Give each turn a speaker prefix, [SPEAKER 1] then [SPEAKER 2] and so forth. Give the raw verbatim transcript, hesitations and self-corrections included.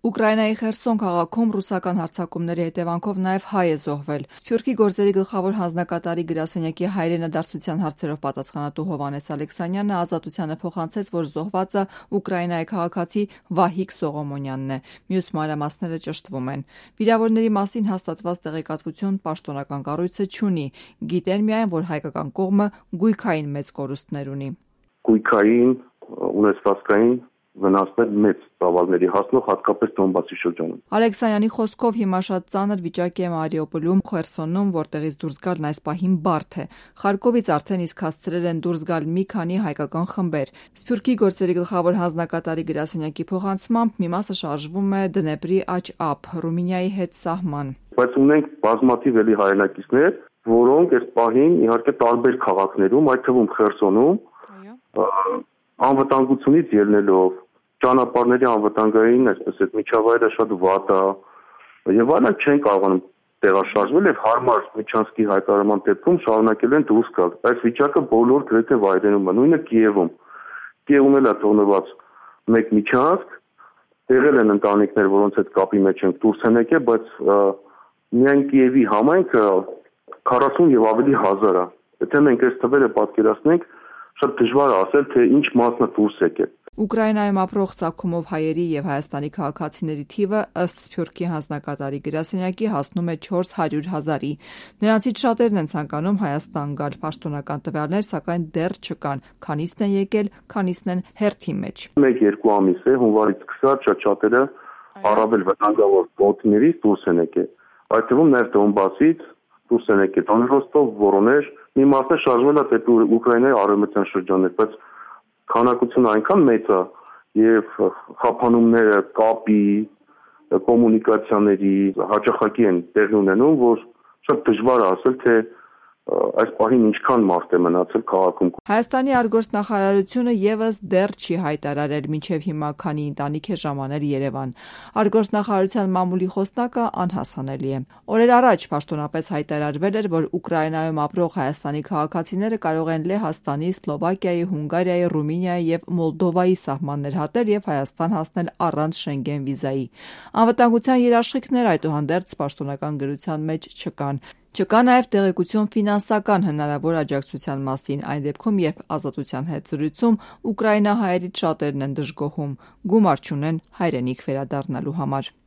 [SPEAKER 1] Ուկրաինայի Խերսոն քաղաքում ռուսական հարձակումների հետևանքով նաև հայ է զոհվել։ Սփյուռքի գործերի գլխավոր հանձնակատարի գրասենյակի հայրենադարձության հարցերով պատասխանատու Հովհաննես Ալեքսանյանը Ազատությանը փոխանցեց, որ զոհվածը Ուկրաինայի քաղաքացի Վահիկ Սողոմոնյանն է։ Մյուս մանրամասները ճշտվում են։ Վիրավորների մասին հաստատված տեղեկատվություն պաշտոնական կառույցը չունի։ Գիտեն միայն, որ հայկական կողմը գույքային մեծ կորուստներ ունի։
[SPEAKER 2] Գույքային, ունեցվածքային վնասներ մեծ ծավալների հասնող, հատկապես Դոնբասի շրջանում։
[SPEAKER 1] Ալեքսանյանի խոսքով հիմա շատ ծանր վիճակ է Մարիուպոլում, Խերսոնում, որտեղից դուրս գալն այս պահին բարդ է։ Խարկովից արդեն իսկ հասցրել են դուրս գալ մի քանի հայկական խմբեր։ Սփյուռքի գործերի գլխավոր հանձնակատարի գրասենյակի փոխանցմամբ մի մասը շարժվում է Դնեպրի աջ-ափ, Ռումինիայի հետ սահման։
[SPEAKER 2] Բայց ունենք բազմաթիվ էլի հայրենակիցներ, որոնք այս պահին իհարկե տարբեր քաղաքներում, այդ թվում Խերսոնում, անվտանգությունից ելնելով, ճանապարհների անվտանգային, այսպես այդ միջավայրը շատ վատ է, եւ այլն չեն կարողանում տեղաշարժվել եւ հարմար միջանցքի հայտարարման դեպքում շարունակել են դուրս գալ։ Այս վիճակը բոլոր գրեթե վայրերում է, նույնը Կիևում։ Կիևում էլ է թողնված մեկ միջանցք, եղել են ընտանիքներ, որոնց հետ կապի մեջ են դուրս են եկել, բայց միայն Կիևի համայնքը քառասուն եւ ավելի հազար է։ Եթե մենք այս թվերը պատկերացնենք, շատ դժվար է ասել, թե ինչ մասն է դուրս եկել։
[SPEAKER 1] Ուկրաինայում ապրող ցակումով հայերի եւ Հայաստանի քաղաքացիների թիվը ըստ Սփյուռքի հանձնակատարի գրասենյակի հասնում է չորս հարյուր հազարի։ Նրանցից շատերն են ցանկանում Հայաստան գալ, պաշտոնական տվյալներ սակայն դեռ չկան։ Քանիսն են եկել, քանիսն են հերթի մեջ։
[SPEAKER 2] մեկ-երկու ամիս է, հունվարից սկսած շատ շատերը առավել վտանգավոր գոտիներից դուրս են եկել։ Այդ թվում նաեւ Դոնբասից դուրս են եկել Դոնբասով, Վորոնեժ, մի մասը շարժվել է դեպի Ուկրաինայի արևմտյան շրջաններ, բայց քանակությունը այնքան մեծ է եւ խափանումները, կապի, կոմունիկացիաների հաճախակի են տեղի ունենում, որ շատ դժվար է ասել, թե այս պահին ինչքան մարդ է մնացել քաղաքում։
[SPEAKER 1] Հայաստանի արտգործնախարարությունը եւս դեռ չի հայտարարել մինչեւ հիմա քանի ընտանիք է ժամանել Երևան։ Արտգործնախարարության մամուլի խոսնակը անհասանելի է։ Օրեր առաջ պաշտոնապես հայտարարվել էր, որ Ուկրաինայում ապրող հայաստանի քաղաքացիները կարող են Լեհաստանի, Սլովակիայի, Հունգարիայի, Ռումինիայի եւ Մոլդովայի սահմաններ հատել եւ Հայաստան հասնել առանց Շենգեն վիզայի։ Անվտանգության երաշխիքներ այդուհանդերձ պաշտոնական գրության մեջ չկան։ Չկա նաև տեղեկություն ֆինանսական հնարավոր աջակցության մասին, այն դեպքում, երբ Ազատության հետ զրույցում ուկրաինահայերից շատերն են դժգոհում, գումար չունեն հայրենիք վերադառնալու համար։